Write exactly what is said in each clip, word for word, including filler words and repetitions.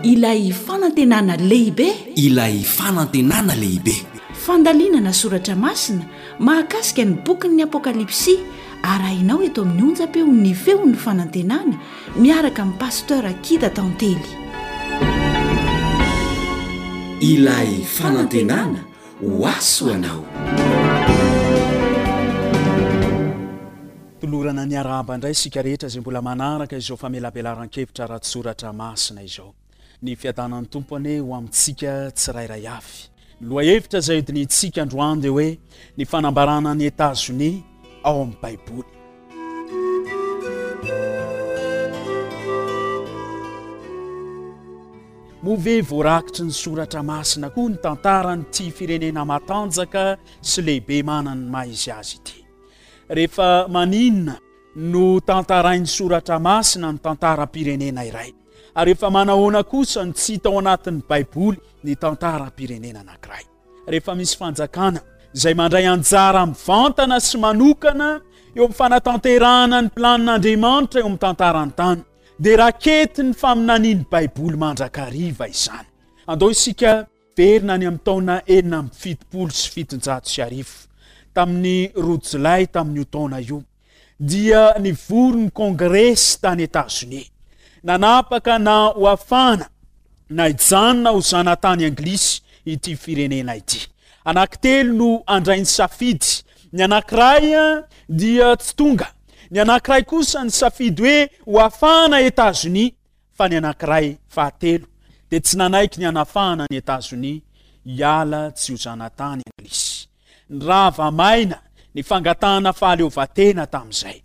Ilay fanantenana lehibe. Ilay fanantenana lehibe. Fandalinana soratra masina mahakasika ny bokin'ny Apokalypsy arahinao eto amin'ny onjam-peon'ny Feon'ny Fanantenana miaraka amin'i Pasteur Kida Tantely. Ilay fanantenana ho ahy ho anao. Tolorana ny arahaba indray isika rehetra izay mbola manaraka izao famelabelaran-kevitra ara-tsoratra masina izao. Ny fiadanan'ny Tompo anie ho amintsika tsirairay avy. Ny lohahevitra izay hodinihintsika androany dia hoe ny fanambarana an'i Etazonia ao amin'ny Baiboly. Moa ve voarakitry ny soratra masina koa ny tantaran'ity firenena matanjaka sy lehibe manana ny maha izy azy ity? Rehefa maninona no tantarain'ny soratra masina ny tantaram-pirenena iray? Ary efa manahoana kosa no tsy hita ao anatin'ny Baiboly ny tantaram-pirenena anankiray? Rehefa misy fanjakana izay mandray anjara mivantana sy manokana eo amin'ny fanatanterahana ny planin'Andriamanitra eo amin'ny tantaran'ny tany, dia raketin'ny faminanian'ny Baiboly mandrakariva izany. Andao isika verina any amin'ny taona enina amby fitopolo sy fitonjato sy arivo. Tamin'ny roa jolay tamin'io taona io, dia nivory ny Kongresy tany Etazonia. Nanapaka na ho afahana na hijanona ho zanatany anglisy ity firenena ity. Anankitelo no handray ny safidy. Ny anankiray dia tsy tonga. Ny anankiray kosa nisafidy hoe ho afahana Etazonia, fa ny anankiray fahatelo dia tsy nanaiky ny hanafahana an'i Etazonia hiala tsy ho zanatany anglisy. Nirava maina ny fangatahana fahaleovantena tamin'izay.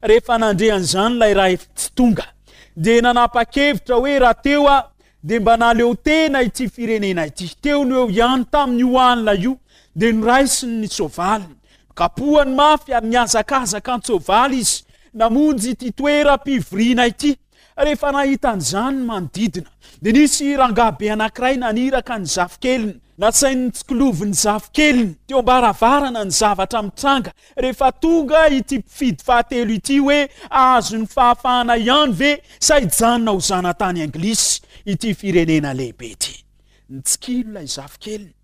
Rehefa nandre an'izany ilay ray tsy tonga, dia nanapa-kevitra hoe raha teo aho dia mba nahaleo tena ity firenena ity. Teo no eo ihany tamin'io alina io dia noraisiny ny soavaliny. Nokapohany mafy ary nihazakazaka an-tsoavaly izy namonjy ity toeram-pivoriana ity. Rehefa nahita an'izany ny manodidina, dia nisy rangahy be anankiray naniraka ny zafikeliny. Nasainy notsikilovin'ny zafikeliny teo am-baravarana ny zavatra mitranga rehefa tonga ity mpifidy fahatelo ity hoe hahazo ny fahafahana ihany ve sa hijanona ho zanatany anglisy ity firenena lehibe ity. Nitsikilo ilay zafikeliny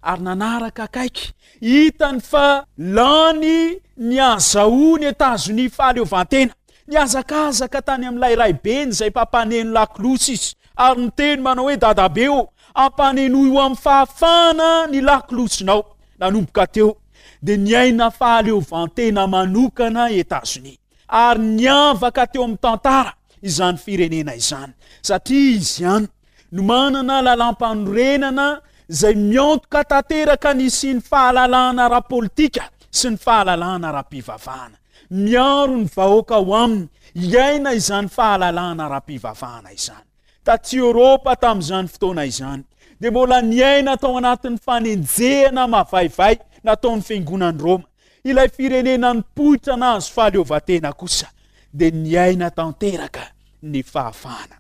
ary nanaraka akaiky. Hitany fa lany ny azahoan'i Etazonia fahaleovantena. Nihazakazaka tany amin'ilay raibeny izay mpampaneno lakolosy izy ary niteny manao hoe, Dadabe ô, ampanenoy ho amin'ny fahafahana ny lakolosinao. Nanomboka teo dia niaina fahaleovantena manokana Etazonia ary niavaka teo amin'ny tantara izany firenena izany satria izy ihany no manana lalàmpanorenana izay miantoka tanteraka ny hisian'ny fahalalahana ara-politika sy ny fahalalahana ara-pivavahana. Miaro ny vahoaka ao aminy hiaina izany fahalalahana ara-pivavahana izany. Taty Eoropa tamin'izany fotoana izany dia mbola niaina tao anatin'ny fanenjehana mavaivay nataon'ny Fiangonan'i Roma. Ilay firenena nipoitra nahazo fahaleovantena kosa dia niaina tanteraka ny fahafahana.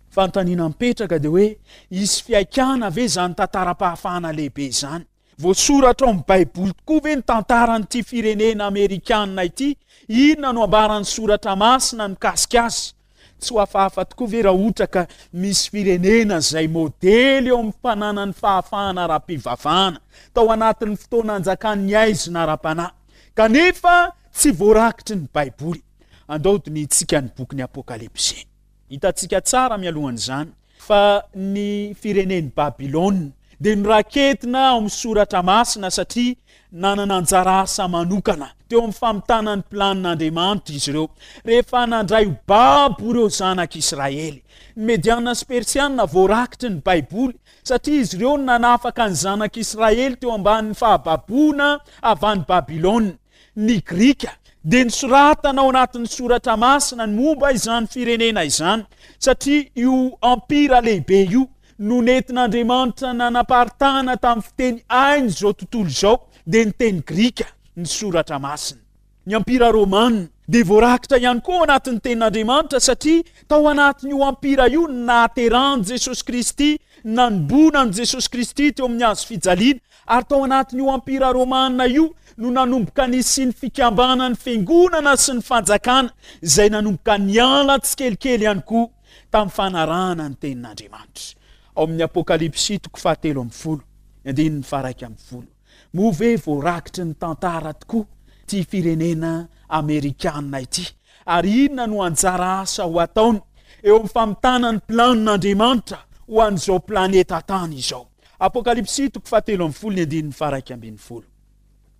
Fanontaniana mipetraka dia hoe, hisy fihaikana ve izany tantaram-pahafahana lehibe izany? Voasoratra ao amin'ny Baiboly tokoa ve ny tantaran'ity firenena amerikana ity? Inona no ambaran'ny Soratra Masina mikasika azy? Tsy ho hafahafa tokoa ve raha ohatra ka misy firenena izay modely eo amin'ny fananany fahafahana ara-pivavahana tao anatin'ny fotoana anjakan'ny haizina ara-panahy, kanefa tsy voarakitry ny Baiboly? Andao hodinihintsika ny bokin'ny Apokalypsy. Hitantsika tsara mialohan'izany fa ny firenen'i Babylona dia noraketina ao amin'ny Soratra Masina satria nanana anjara asa manokana teo amin'ny famitana ny planin'Andriamanitra izy ireo rehefa nandray ho babo ireo zanak'Israely. Ny Mediana sy Persiana voarakitry ny Baiboly satria izy ireo no nanafaka ny zanak'Israely teo ambanin'ny fahababoana avy any Babylona. Ny Grika dia nosoratana ao anatin'ny Soratra Masina ny momba izany firenena izany, satria io empira lehibe io no nentin'Andriamanitra nanaparitahana tamin'ny fiteny hain'izao tontolo izao, dia ny teny grika, ny Soratra Masina. Ny Empira Romana dia voarakitra ihany koa ao anatin'ny Tenin'Andriamanitra, satria tao anatin'io empira io no nahaterahan'i Jesosy Kristy, nanomboana an'i Jesosy Kristy teo amin'ny hazo fijaliana, Ary tao anatin'io Empira Romana io no nanomboka nisian'ny fikambanan'ny fiangonana sy ny fanjakana, izay nanomboka niala tsikelikely ihany koa tamin'ny fanarahana ny tenin'Andriamanitra. Ao amin'ny Apokalypsy toko fahatelo ambin'ny folo, ny andininy faharaika ambin'ny folo. Moa ve voarakitry ny tantara tokoa ity firenena amerikana ity? Ary inona no anjara asa ho ataony eo amin'ny famitana ny planin'Andriamanitra ho an'izao planeta tany izao? Apokalypsy toko fahatelo ambin'ny folo, ny andininy faharaika ambin'ny folo.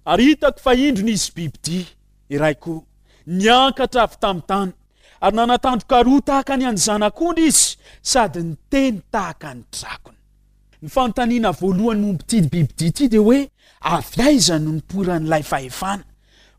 Ary hitako fa indro nisy bibidia iray koa niakatra avy tamin'ny tany, ary nanatandroka roa tahaka ny an'ny zanak'ondry izy, sady niteny tahaka ny drakona. Ny fanontaniana voalohany momba ity bibidia ity dia hoe avy aiza no nipoiran'ilay fahefana?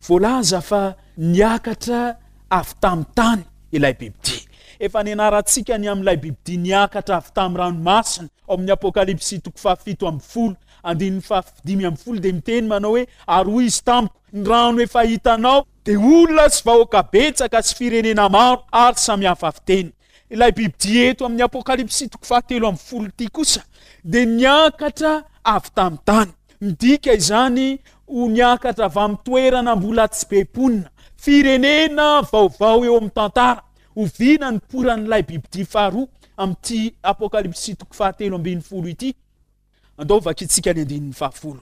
Voalaza fa niakatra avy tamin'ny tany ilay bibidia. Efa nianarantsika ny amin'ilay bibidia niakatra avy tamin'ny ranomasina ao amin'ny Apokalypsy toko fahafito ambin'ny folo, andininy fahadimy ambin'ny folo dia miteny manao hoe ary hoy izy tamiko, ny rano efa hitanao dia olona sy vahoaka betsaka sy firenena maro ary samihafa fiteny. Ilay bibidia eto amin'ny Apokalypsy toko fahatelo ambin'ny folo ity kosa dia niakatra avy tamin'ny tany. Midika izany ho niakatra avy amin'ny toerana mbola tsy be mponina, firenena vaovao eo amin'ny tantara. Oviana ny poran'ilay bibidia faharoa amin'ity Apokalypsy toko fahatelo ambin'ny folo ity? Andao vakintsika ny andininy fahafolo.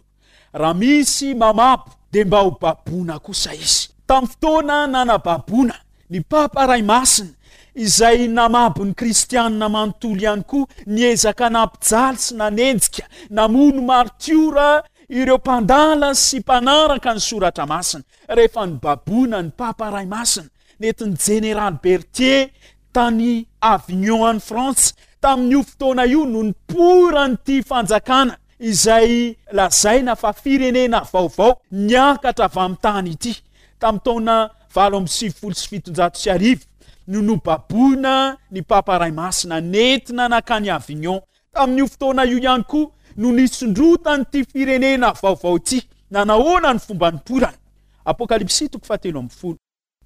Raha misy mamabo dia mba ho baboina kosa izy. Tamin'ny fotoana nanababoana ny Papa Ray Masina izay namabo ny kristianina manontolo ihany koa, niezaka nampijaly sy nanenjika, namono martiora ireo mpandala sy mpanaraka ny soratra masina. Rehefa nibaboina ny Papa Ray Masina, nentin'ny Jeneraly Berthier tany Avignon any Frantsa, tamin'io fotoana io no nipoiran'ity fanjakana izay lazaina fa firenena vaovao niakatra avy amin'ny tany ity. Tamin'ny taona valo amby sivifolo sy fitonjato sy arivo no nobaboina ny Papa Ray Masina nentina nankany Avignon. Tamin'io fotoana io ihany koa no nisondrotan'ity firenena vaovao ity. Nanahoana ny fomba nipoirany? Apokalypsy toko fahatelo ambin'ny folo,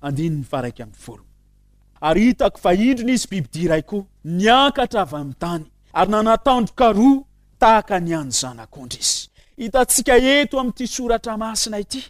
andininy faharaika ambin'ny folo. Ary hitako fa indro nisy bibidia iray koa niakatra avy amin'ny tany, ary nanatandroka roa tahaka ny an'ny zanak'ondry izy. Hitantsika eto amin'ity soratra masina ity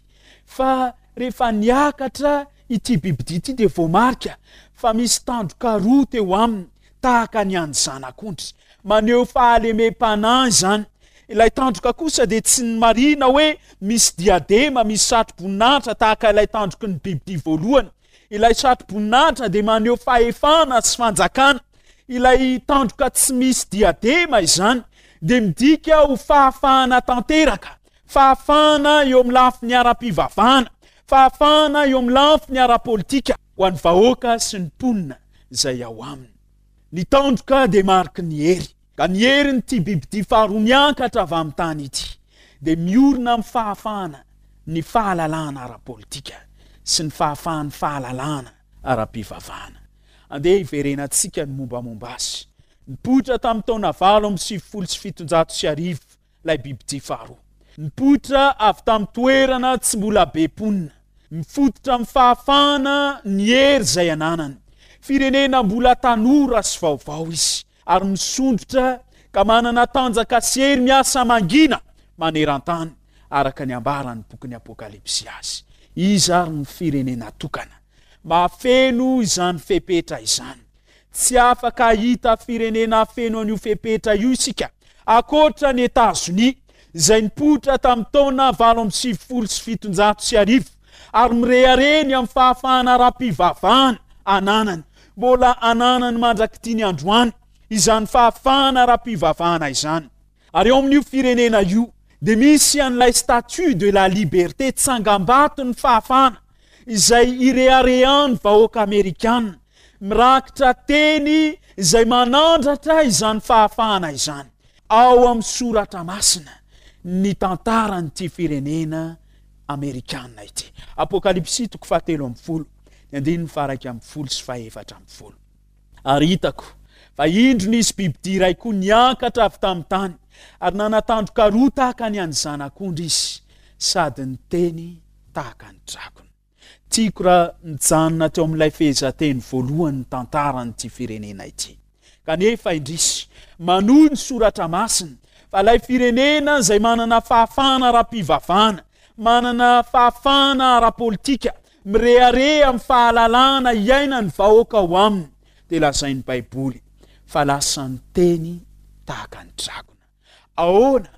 fa rehefa niakatra ity bibidia ity dia voamarika fa misy tandroka roa teo aminy tahaka ny an'ny zanak'ondry. Maneho fahalemem-panahy izany. Ilay tandroka kosa dia tsy ny marina hoe misy diadema, misy satroboninahitra tahaka ilay tandroky ny bibidia voalohany. Ilay satroboninahitra dia maneho fahefana sy fanjakana. Ilay tandroka tsy misy diadema izany dia midika ho fahafahana tanteraka, fahafahana eo amin'ny lafiny ara-pivavahana, fahafahana eo amin'ny lafiny ara-politika ho an'ny vahoaka sy ny mponina izay ao aminy. Ny tandroka dia mariky ny hery, ka ny herin'ity bibidia faharoa miakatra avy amin'ny tany ity dia miorina amin'ny fahafahana ny fahalalahana ara-politika sy ny fahafahan'ny fahalalahana ara-pivavahana. Andeha hiverenantsika ny mombamomba azy. Nipoitra tamin'ny taona valo amby sivifolo sy fitonjato sy arivo ilay bibidia faharoa. Nipoitra avy tamin'ny toerana tsy mbola be mponina. Mifototra amin'ny fahafahana ny hery izay ananany. Firenena mbola tanora sy vaovao izy, ary misondrotra ka manana tanjaka sy hery miasa mangina maneran-tany, araka ny ambaran'ny bokin'ny Apokalypsy azy. Iza ary ny firenena tokana mahafeno izany fepetra izany? Tsy afaka hahita firenena feno an'io fepetra io isika, ankoatra ny Etazonia, izay nipoitra tamin'ny taona valo amby sivifolo sy fitonjato sy arivo, ary mirehareha ny amin'ny fahafahana ara-pivavahana ananany. Mbola ananany mandrak'ity ny androany izany fahafahana ara-pivavahana izany. Ary ao amin'io firenena io dia misy an'ilay statue de la liberté, tsangambaton'ny fahafahana, izay ireharehan'ny vahoaka amerikana, mirakitra teny izay manandratra izany fahafahana izany. Ao amin'ny soratra masina ny tantaran'ity firenena amerikana ity. Apokalypsy toko fahatelo ambin'ny folo, ny andininy faharaika ambin'ny folo sy fahefatra ambin'ny folo. Ary hitako fa indro nisy bibidia iray koa niakatra avy tamin'ny tany, ary nanatandroka roa tahaka ny an'ny zanak'ondry izy, sady niteny tahaka ny drakona. Tiako raha nijanona teo amin'ilay fehezanteny voalohany ny tantaran'ity firenena ity. Kanefa indrisy, manohy ny soratra masina fa ilay firenena izay manana fahafahana ara-pivavahana, manana fahafahana ara-politika, mirehareha amin'ny fahalalahana iainan'ny vahoaka ao aminy, dia lazain'ny Baiboly fa lasa niteny tahaka ny dragona. Ahoana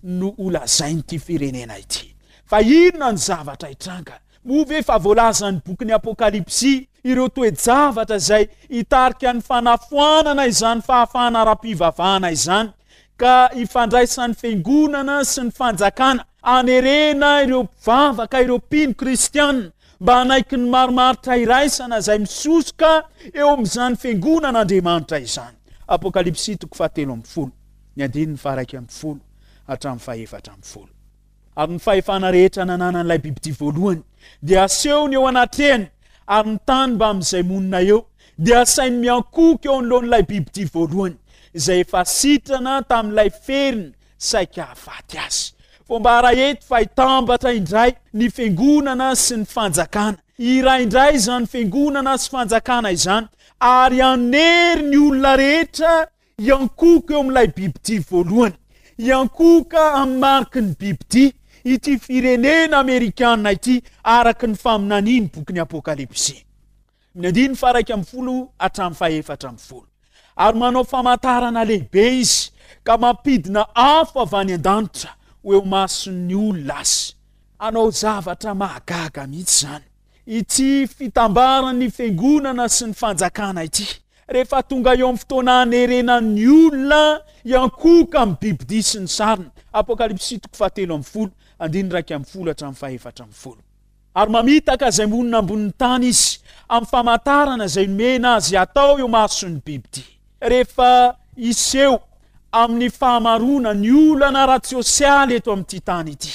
no holazain'ity firenena ity? Fa inona ny zavatra hitranga? Moa ve efa voalazan'ny bokin'ny Apokalypsy ireo toe-javatra izay hitarika ny fanafoanana izany fahafahana ara-pivavahana izany, ka hifandraisan'ny fiangonana sy ny fanjakana hanerena ireo mpivavaka, ireo mpino kristiana mba hanaiky ny marimaritra iraisana izay misosoka eo amin'izany fiangonan'Andriamanitra izany? Apokalypsy toko fahatelo ambin'ny folo, ny andininy faharaika ambin'ny folo hatramin'ny fahefatra ambin'ny folo. Ary ny fahefana rehetra nananan'ilay bibidia voalohany dia asehony eo anatrehany, ary ny tany mbamin'izay monina eo dia asainy miankohoka eo anoloan'ilay bibidia voalohany, izay efa sitrana tamin'ilay feriny saika hahafaty azy. Voambara eto fa hitambatra indray ny fiangonana sy ny fanjakana. Hiray indray izany fiangonana sy fanjakana izany, ary hanery ny olona rehetra hiankohoka eo amin'ilay bibidia voalohany. Hiankohoka amin'ny mariky ny bibidia ity firenena amerikana ity, araka ny faminanian'ny bokin'ny Apokalypsy. Ny andininy faha-iraika ambin'ny folo hatramin'ny faha-efatra ambin'ny folo. Ary manao famantarana lehibe izy, ka mampidina afo avy any an-danitra ho eo mason'ny olona azy. Hanao zavatra mahagaga mihitsy izany ity fitambaran'ny fiangonana sy ny fanjakana ity, rehefa tonga eo amin'ny fotoana hanerena ny olona hiankohoka amin'ny bibidia sy ny sariny. Apokalypsy toko fahatelo ambin'ny folo, andininy iraika ambin'ny folo hatramin'ny fahefatra ambin'ny folo. Ary mamitaka izay monina ambonin'ny tany izy, amin'ny famantarana izay nomena azy hatao eo mason'ny bibidia. Rehefa hiseho amin'ny fahamaroana ny olana ara-tsosialy eto amin'ity tany ity,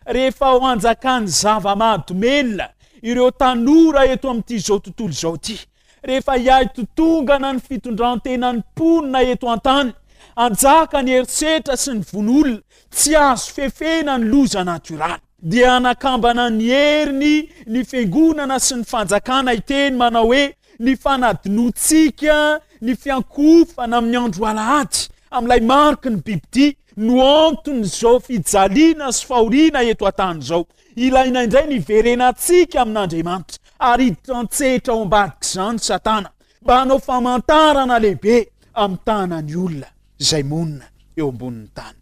rehefa ho anjakan'ny zava-mahadomelina ireo tanora eto amin'ity izao tontolo izao ity, rehefa hiahy totongana ny fitondran-tenan'ny mponina eto an-tany, hanjaka ny herisetra sy ny vono olona, tsy azo fefena ny loza natioraly, dia hanakambana ny heriny ny fiangonana sy ny fanjakana hiteny manao hoe ny fanadinoantsika ny fiankohofana amin'ny andro alahady amin'ilay mariky ny bibidia no anton'izao fijaliana sy fahoriana eto an-tany izao. Ilaina indray ny hiverenantsika amin'Andriamanitra ary hiditra an-tsehatra ao ambadik'izany Satana mba hanao famantarana lehibe amin'ny tanan'ny olona izay monina eo ambonin'ny tany.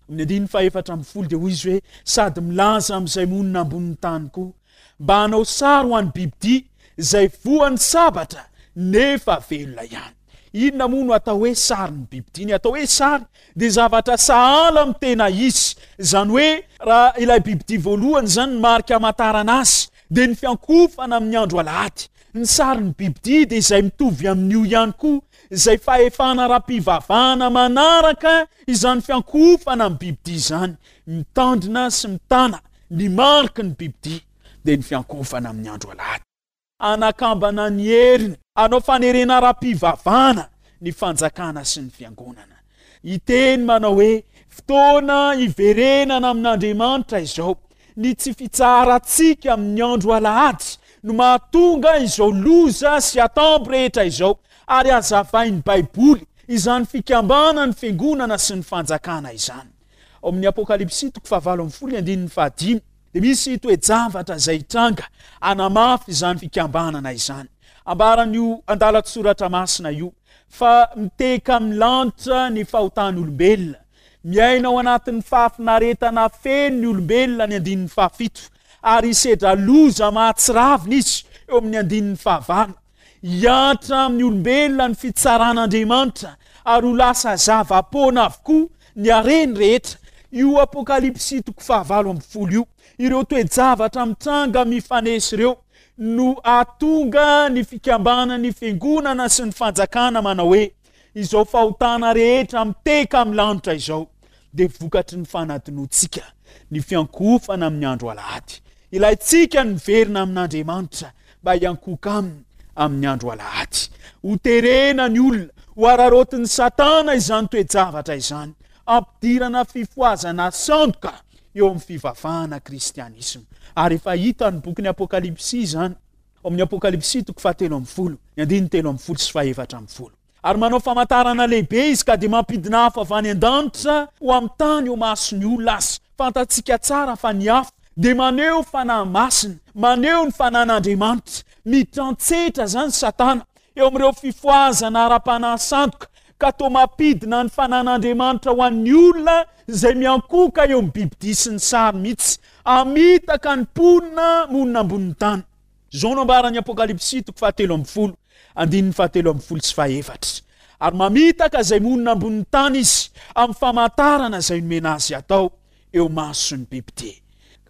Amin'ny andininy fahefatra ambin'ny folo dia hoy izy hoe, Sady milaza amin'izay monina ambonin'ny tany koa mba hanao sary ho an'ny bibidia izay voan'ny sabatra nefa velona ihany. Inona moa no atao hoe sarin'ny bibidia? Ny atao hoe sary dia zavatra sahala amin'ny tena izy. Izany hoe raha ilay bibidia voalohany izany ny marika hamantarana azy dia ny fiankohofana amin'ny andro alahady. Ny sarin'ny bibidia dia izay mitovy amin'io ihany koa, izay fahefana ara-pivavahana manaraka izany fiankohofana amin'ny bibidia izany. Mitandrina sy mitana ny mariky ny bibidia dia ny fiankohofana amin'ny andro alahady. Hanakambana ny heriny hanao fanerena ara-pivavahana ny fanjakana sy ny fiangonana. Hiteny manao hoe, Fotoana hiverenana amin'Andriamanitra izao. Ny tsy fitsaharantsika amin'ny andro alahady no mahatonga izao loza sy atambo rehetra izao, ary hazavain'ny Baiboly izany fikambanan'ny fiangonana sy ny fanjakana izany. Ao amin'ny Apokalypsy toko fahavalo ambin'ny folo ny andininy fahadimy dia misy toe-javatra izay hitranga hanamafy izany fikambanana izany. Ambaran'io andalan-tsoratra masina io fa miteka amin'ny lanitra ny fahotan'olombelona. Miaina ao anatin'ny fahafinaretana feno ny olombelona ny andininy fahafito ary hisedra loza mahatsiravina izy eo amin'ny andininy fahavalo. Hihatra amin'ny olombelona ny fitsaran'Andriamanitra ary ho lasa zava-poana avokoa ny hareny rehetra. Io Apokalypsy toko fahavalo ambin'ny folo io, ireo toe-javatra mitranga mifanesy ireo no hahatonga ny fikambanan'ny fiangonana sy ny fanjakana manao hoe, Izao fahotana rehetra miteka amin'ny lanitra izao dia vokatry ny fanadinoantsika ny fiankohofana amin'ny andro alahady. Ilaintsika ny miverina amin'Andriamanitra mba hiankohoka aminy amin'ny andro alahady. Ho terena ny olona, ho araraotin'i Satana izany toe-javatra izany, hampidirana fifohazana sandoka eo amin'ny fivavahana kristianisma. Ary efa hitan'ny bokin'ny Apokalypsy izany. Ao amin'ny Apokalypsy toko fahatelo ambin'ny folo, ny andininy telo ambin'ny folo sy fahefatra ambin'ny folo. Ary manao famantarana lehibe izy ka dia mampidina afo avy any an-danitra ho amin'ny tany eo mason'ny olona azy. Fantatsika tsara fa ny afo dia maneho fanahy masina, maneho ny fanan'Andriamanitra. Miditra an-tsehatra izany Satana eo amin'ireo fifohazana ara-panahy sandoka ka toa mampidina ny fanan'Andriamanitra ho an'ny olona izay miankohoka eo amin'ny bibidia sy ny sary mihitsy, hamitaka ny mponina monina ambonin'ny tany. Izao no ambaran'ny Apokalypsy toko fahatelo ambin'ny folo, andininy fahatelo ambin'ny folo sy fahefatra, Ary mamitaka izay monina ambonin'ny tany izy amin'ny famantarana izay nomena azy hatao eo mason'ny bibidia.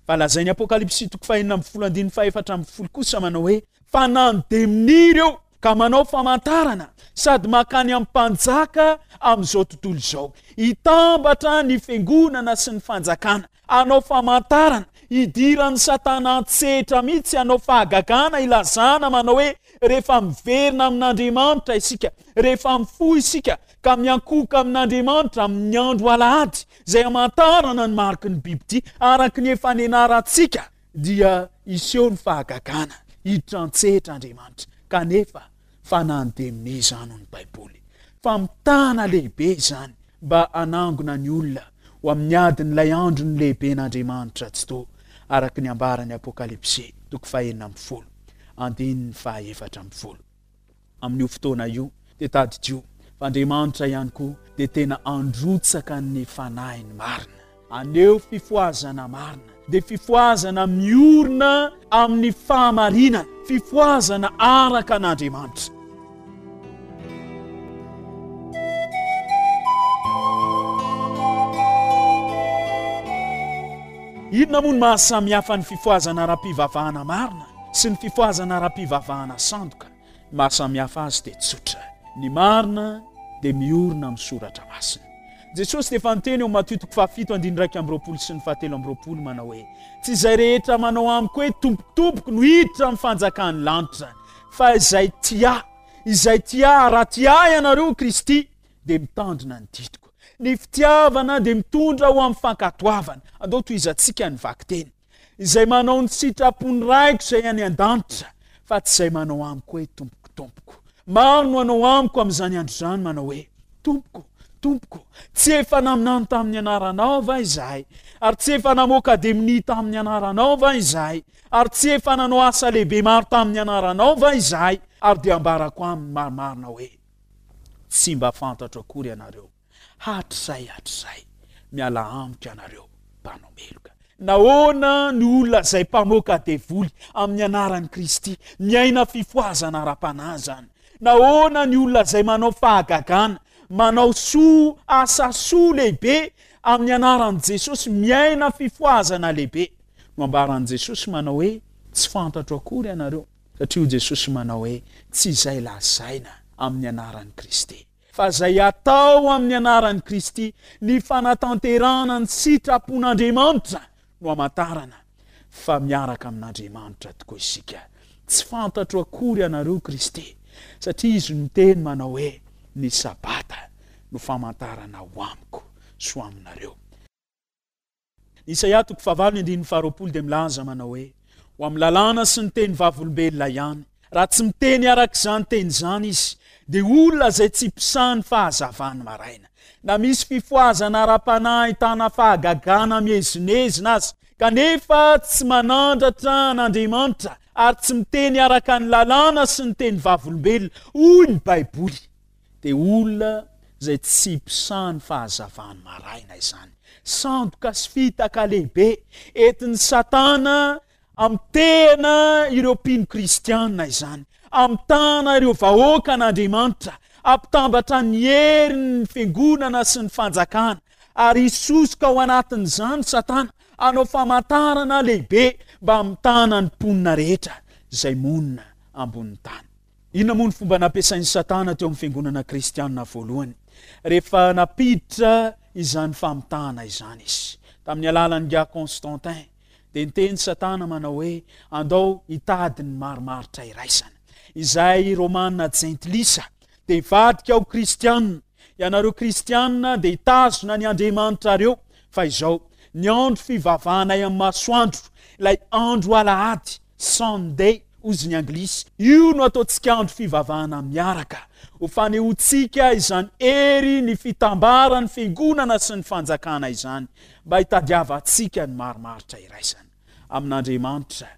Fa lazain'ny Apokalypsy toko fahenina ambin'ny folo andininy fahefatra ambin'ny folo kosa manao hoe, Fa na ny demonia ireo ka manao famantarana sady mankany amin'ny mpanjaka amin'izao tontolo izao, hitambatra ny fiangonana sy ny fanjakana, hanao famantarana, hidiran'i Satana an-tsehatra mihitsy hanao fahagagana hilazana manao hoe rehefa miverina amin'Andriamanitra isika, rehefa mifoha isika ka miankohoka amin'Andriamanitra amin'ny andro alahady izay hamantarana ny mariky ny bibidia araka ny efa nianarantsika, dia hiseho ny fahagagana, hiditra an-tsehatra Andriamanitra. Kanefa, fanahin'ny demonia izany hoy ny Baiboly. Famitahana lehibe izany mba hanangona ny olona ho amin'ny adin'ilay andron'ny lehiben'Andriamanitra Tsitoha, araka ny ambaran'ny Apokalypsy, toko fahenina ambin'ny folo, andininy fahaefatra ambin'ny folo. Amin'io fotoana io, dia tadidio fa Andriamanitra ihany koa dia tena handrotsaka ny Fanahiny marina, haneho fifohazana marina, dia fifohazana miorina amin'ny fahamarinana, fifohazana araka an'Andriamanitra. Inona moa no maha-samihafa ny fifohazana ara-pivavahana marina sy ny fifohazana ara-pivavahana sandoka? Ny maha-samihafa azy dia tsotra, ny marina dia miorina amin'ny Soratra Masina. Jesosy dia efa niteny ao Matio toko fahafito andininy iraika amby roapolo sy ny fahatelo amby roapolo manao hoe, Tsy izay rehetra manao amiko hoe, Tompoko, Tompoko, no hiditra amin'ny fanjakan'ny lanitra, fa izay tia Ahy, izay tia Ahy, raha tia Ahy ianareo, Kristy, dia mitandrina ny didiko. Ny fitiavana dia mitondra ho amin'ny fankatoavana. Andao tohizantsika ny vakiteny. Izay manao ny sitrapon'ny Raiko izay any an-danitra, fa tsy izay manao amiko hoe, Tompoko, Tompoko. Maro no hanao amiko amin'izany andro izany, manao hoe, Tompoko, Tompoko, tsy efa naminany tamin'ny anaranao va izahay? Ary tsy efa namoaka demonia tamin'ny anaranao va izahay? Ary tsy efa nanao asa lehibe maro tamin'ny anaranao va izahay? Ary dia ambarako aminy marimarina hoe, Tsy mba fantatro akory ianareo. Hatrizay hatrizay, miala amiko ianareo mpanao meloka. Nahoana ny olona izay mpamoaka devoly amin'ny anaran'i Kristy, miaina fifohazana ara-panahy izany? Nahoana ny olona izay manao fahagagana, manao soa, asa soa lehibe amin'ny anaran'i Jesosy, miaina fifohazana lehibe? No ambaran'i Jesosy manao hoe, Tsy fantatro akory ianareo, satria hoy Jesosy manao hoe, Tsy izay lazaina amin'ny anaran'i Kristy. Fa izay atao amin'ny anaran'i Kristy, ny fanatanterahana ny sitrapon'Andriamanitra no hamantarana fa miaraka amin'Andriamanitra tokoa isika. Tsy fantatro akory ianareo Kristy, satria Izy no niteny manao hoe, Ny Sabata no famantarana ho amiko sy ho aminareo. Isaia toko fahavalo ny andininy faharoapolo dia milaza manao hoe, Ho amin'ny lalàna sy ny teny vavolombelona ihany. Raha tsy miteny araka izany teny izany izy, dia olona izay tsy mpisaha ny fahazavan'ny maraina. Na misy fifohazana ara-panahy ahitana fahagagana miezinezina aza, kanefa tsy manandratra an'Andriamanitra ary tsy miteny araka ny lalàna sy ny teny vavolombelona, hoy ny Baiboly, dia olona izay tsy mpisaha ny fahazavan'ny maraina izany. Sandoka sy fitaka lehibe entin'i Satana hamitehana ireo mpino kristiana izany, hamitahana ireo vahoakan'Andriamanitra, hampitambatra ny herin'ny fiangonana sy ny fanjakana, ary hisosoka ao anatin'izany Satana hanao famantarana lehibe mba hamitahana ny mponina rehetra izay monina ambonin'ny tany. Inona moa ny fomba nampiasain'i Satana teo amin'ny fiangonana kristiana voalohany, rehefa nampiditra izany famitahana izany izy? Tamin'ny alalan'ingahy Constantin, dia niteny Satana manao hoe, Andao hitady ny marimaritra iraisana. Izay Romana jentilisa dia hivadika ho kristiana. Ianareo kristiana dia hitazona ny Andriamanitrareo, fa izao, ny andro fivavahanay amin'ny masoandro, ilay andro alahady, Sunday hozy ny anglisy, io no ataontsika andro fivavahana miaraka, ho fanehoantsika izany hery ny fitambaran'ny fiangonana sy ny fanjakana izany, mba hitadiavantsika ny marimaritra iraisana amin'Andriamanitra,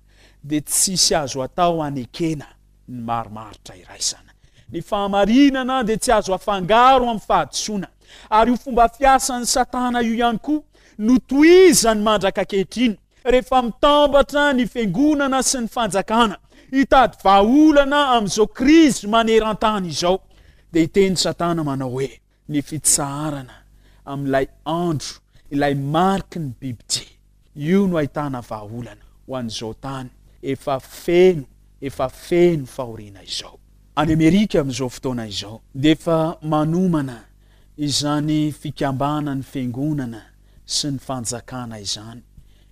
dia tsisy azo atao hanekena ny marimaritra iraisana. Ny fahamarinana dia tsy azo afangaro amin'ny fahadisoana. Ary io fomba fiasan'ny Satana io ihany koa no tohizany mandraka ankehitriny rehefa mitambatra ny fiangonana sy ny fanjakana hitady vahaolana amin'izao krizy maneran-tany izao. Dia hiteny Satana manao hoe ny fitsaharana amin'ilay andro, ilay mariky ny bibidia, io no ahitana vahaolana ho an'izao tany efa feno, efa feno fahoriana izao. Any Amerika amin'izao fotoana izao dia efa manomana izany fikambanan'ny fiangonana sy ny fanjakana izany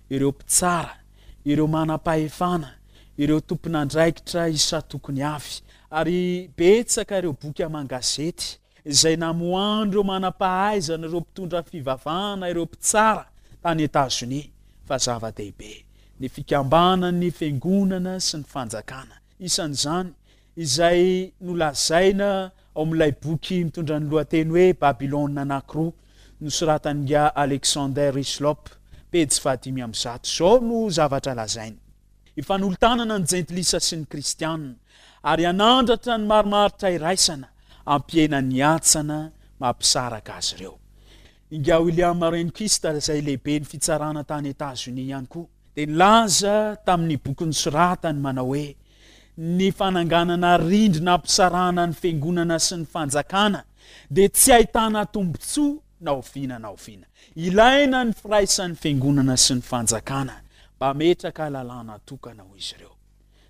ireo mpitsara, ireo manam-pahefana, ireo tompon'andraikitra isan-tokony avy, ary betsaka ireo boky aman-gazety izay namoahan'ireo manam-pahaizana, ireo mpitondra fivavahana, ireo mpitsara tany Etazonia fa zava-dehibe ny fikambanan'ny fiangonana sy ny fanjakana. Isan'izany izay nolazaina ao amin'ilay boky mitondra ny lohateny hoe Babylona anankiroa nosoratan'ingahy Alexander Hislop, pejy fahadimy amby zato. Izao no zavatra lazainy: hifanolo-tanana ny jentilisa sy ny kristianina ary hanandratra ny marimaritra iraisana hampihena ny hatsana mampisaraka azy ireo. Ingahy William Rehnquist izay lehiben'ny fitsarana tany Etazonia ihany koa dia nilaza tamin'ny boky nosoratany manao hoe ny fananganana rindrina hampisarahana ny fiangonana sy ny fanjakana dia tsy ahitana tombontsoa na oviana na oviana. Ilaina ny firaisan'ny fiangonana sy ny fanjakana mba hametraka lalàna tokana ho izy ireo.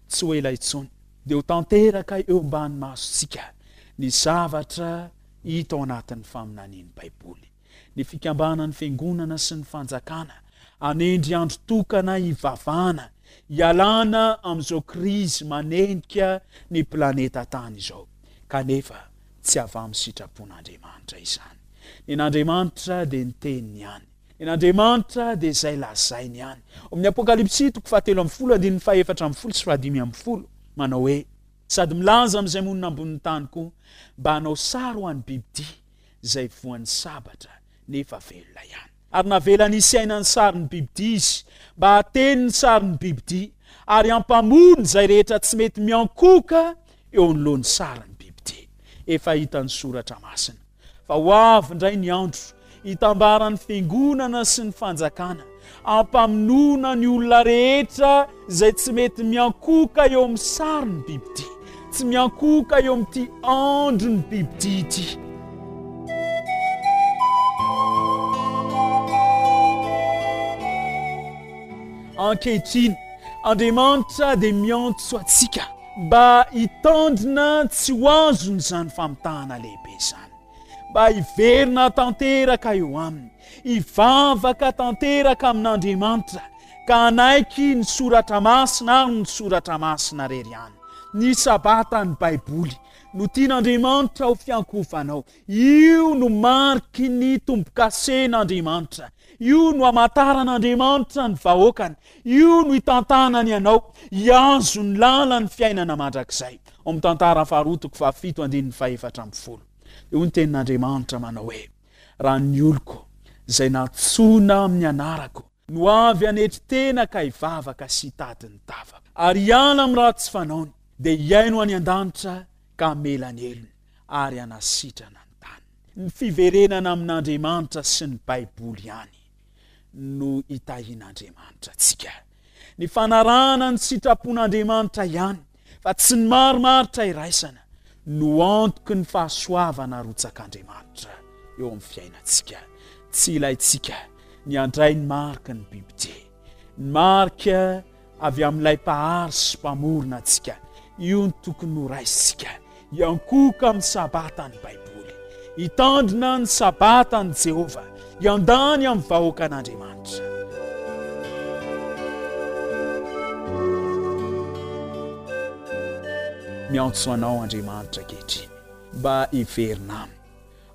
Tsy ho ela intsony dia ho tanteraka eo ambany masontsika ny zavatra hita ao anatin'ny faminanian'ny Baiboly. Ny fikambanan'ny fiangonana sy ny fanjakana hanendry andro tokana hivavahana hialana amin'izao krizy manenika ny planeta tany izao. Kanefa tsy avy amin'ny sitrapon'Andriamanitra izany. Ny an'Andriamanitra dia ny teniny ihany. Ny an'Andriamanitra dia izay lazainy ihany. Ao amin'ny Apokalypsy toko fahatelo ambin'ny folo andininy fahefatra ambin'ny folo sy fahadimy ambin'ny folo manao hoe sady milaza amin'izay monina ambonin'ny tany koa mba hanao sary ho an'ny bibidia izay voan'ny sabatra nefa velona ihany. Ary navelany hisy aina ny sarin'ny bibidia izy mba hahateny ny sarin'ny bibidia ary hampamono izay rehetra tsy mety miankohoka eo anoloan'ny sarin'ny bibidia. Efa hitan'ny soratra masina fa ho avy indray ny andro hitambaran'ny fiangonana sy ny fanjakana hampamonoana ny olona rehetra izay tsy mety miankohoka eo amin'ny sarin'ny bibidia, tsy miankohoka eo amin'ity andron'ny bibidia ity. Ankehitriny, Andriamanitra dia miantso antsika mba hitandrina tsy ho azon'izany famitahana lehibe izany, mba hiverina tanteraka eo aminy, hivavaka tanteraka amin'Andriamanitra ka hanaiky ny soratra masina ary ny soratra masina irery ihany. Ny sabatan'ny Baiboly no tian'Andriamanitra ho fiankohofanao. Io no mariky ny tombokasen'Andriamanitra. Io no hamantaran'Andriamanitra ny vahoakany. Io no hitantanany anao hihazo ny lalan'ny fiainana mandrakizay. Ao amin'ny tantara faharoa toko fahafito andininy fahefatra ambin'ny folo. Dia hoy ny tenin'Andriamanitra manao hoe raha ny oloko izay nantsoina amin'ny anarako no avy hanetry tena ka hivavaka sy hitady ny tavako ary hiala amin'ny ratsy fanaony dia hihaino any an-danitra ka hamela ny helony ary hanasitrana ny tany. Ny fiverenana amin'Andriamanitra sy ny Baiboly ihany no hitahian'Andriamanitra antsika. Ny fanarahana ny sitrapon'Andriamanitra ihany fa tsy ny marimaritra iraisana no antoky ny fahasoavana arotsak'Andriamanitra eo amin'ny fiainantsika. Tsy ilaintsika ny handray ny mariky ny bibidia, ny marika avy amin'ilay mpahary sy mpamorona antsika. Io no tokony ho raisintsika hiankohoka amin'ny sabatan'ny Baiboly, hitandrina ny sabatan'i Jehovah, hiandany amin'ny vahoakan'Andriamanitra. Miantso anao Andriamanitra ankehitriny mba hiverina aminy,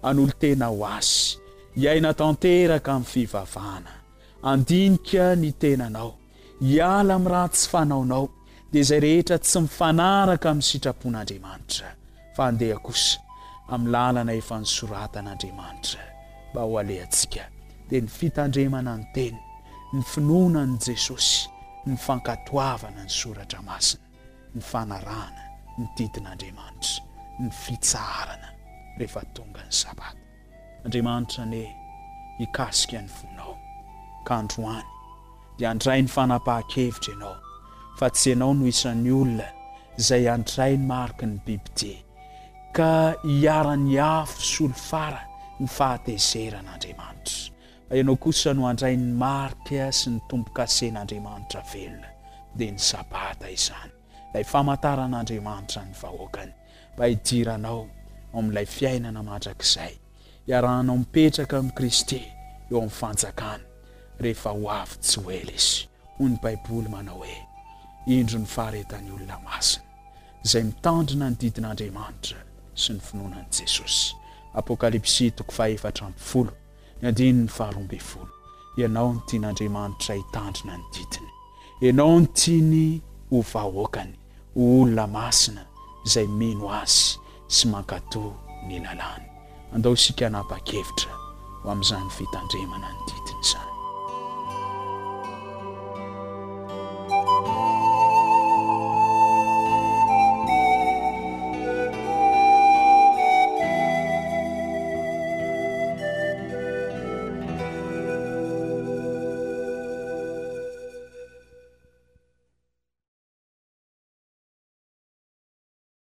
hanolo-tena ho azy, hiaina tanteraka amin'ny fivavahana, handinika ny tenanao, hiala amin'ny ratsy fanaonao, dia izay rehetra tsy mifanaraka amin'ny sitrapon'Andriamanitra, fa handeha kosa amin'ny lalana efa nosoratan'Andriamanitra mba ho alehantsika, dia ny fitandremana ny Teniny, ny finoana an'i Jesosy, ny fankatoavana ny Soratra Masina, ny fanarahana ny didin'Andriamanitra, ny fitsaharana rehefa tonga ny Sabata. Andriamanitra anie hikasika ny fonao, ka androany dia handray ny fanapahan-kevitra ianao fa tsy ianao no isan'ny olona izay handray ny mariky ny bibidia ka hiharan'ny afo solifara ny fahatezeran'Andriamanitra, fa ianao kosa no handray ny marika sy ny tombo-kasen'Andriamanitra velona, dia ny Sabata izany, ilay famantaran'Andriamanitra ny vahoakany, mba hidiranao ao amin'ilay fiainana mandrakizay, hiarahanao mipetraka amin'i Kristy eo amin'ny fanjakany, rehefa ho avy tsy ho ela Izy. Hoy ny Baiboly manao hoe, Indro ny faharetan'ny olona masina, izay mitandrina ny didin'Andriamanitra sy ny finoana an'i Jesosy. Apokalypsy toko fahefatra ambin'ny folo, ny andininy faharoa ambin'ny folo. Ianao no tian'Andriamanitra hitandrina ny didiny. Ianao no tiany ho vahoakany, ho olona masina izay mino Azy sy mankatò ny lalàny. Andao isika hanapa-kevitra ho amin'izany fitandremana ny didiny izany.